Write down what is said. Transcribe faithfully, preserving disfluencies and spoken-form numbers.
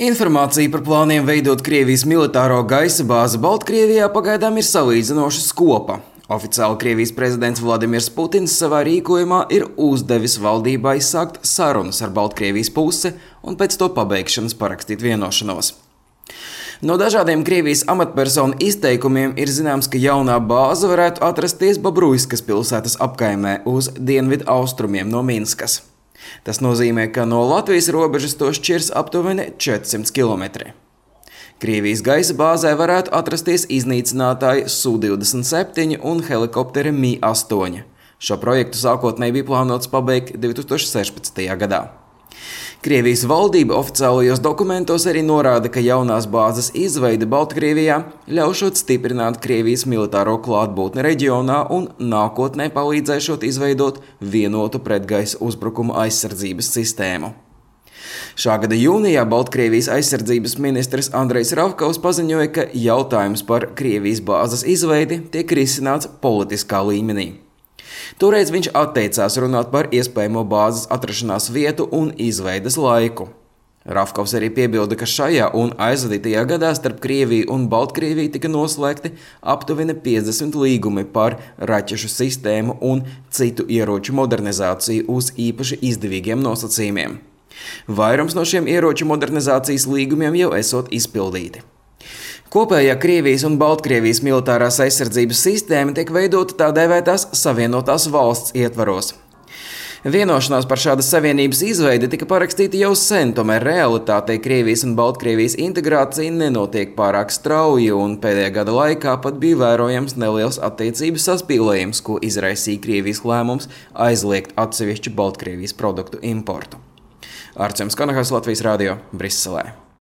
Informācija par plāniem veidot Krievijas militāro gaisa bāzi Baltkrievijā pagaidām ir salīdzinoši skopa. Oficiāli Krievijas prezidents Vladimirs Putins savā rīkojumā ir uzdevis valdībai sākt sarunas ar Baltkrievijas pusi un pēc to pabeigšanas parakstīt vienošanos. No dažādiem Krievijas amatpersonu izteikumiem ir zināms, ka jaunā bāze varētu atrasties Bobruiskas pilsētas apkaimē uz dienvidu austrumiem no Minskas. Tas nozīmē, ka no Latvijas robežas to šķirs aptuveni četrsimt kilometri. Krievijas gaisa bāzē varētu atrasties iznīcinātāji S U divdesmit septiņi un helikopteri M I astoņi. Šo projektu sākotnēji bija plānots pabeigt divi tūkstoši sešpadsmitajā gadā. Krievijas valdība oficiālajos dokumentos arī norāda, ka jaunās bāzes izveide Baltkrievijā ļaušot stiprināt Krievijas militāro klātbūtni reģionā un nākotnē palīdzēšot izveidot vienotu pretgaisa uzbrukuma aizsardzības sistēmu. Šā gada jūnijā Baltkrievijas aizsardzības ministrs Andrejs Ravkovs paziņoja, ka jautājums par Krievijas bāzes izveidi tiek risināts politiskā līmenī. Toreiz viņš atteicās runāt par iespējamo bāzes atrašanās vietu un izveides laiku. Ravkovs arī piebilda, ka šajā un aizvadītajā gadā starp Krieviju un Baltkrieviju tika noslēgti aptuveni piecdesmit līgumi par raķešu sistēmu un citu ieroču modernizāciju uz īpaši izdevīgiem nosacījumiem. Vairums no šiem ieroču modernizācijas līgumiem jau esot izpildīti. Kopējā Krievijas un Baltkrievijas militārās aizsardzības sistēma tiek veidota tā dēvētās Savienotās valsts ietvaros. Vienošanās par šādas savienības izveidi tika parakstīta jau sen, tomēr realitātei Krievijas un Baltkrievijas integrācija nenotiek pārāk strauji, un pēdējā gada laikā pat bija vērojams neliels attiecības saspīlējums, ko izraisīja Krievijas lēmums aizliegt atsevišķu Baltkrievijas produktu importu. Arčuns Kanahas, Latvijas radio, Briselē.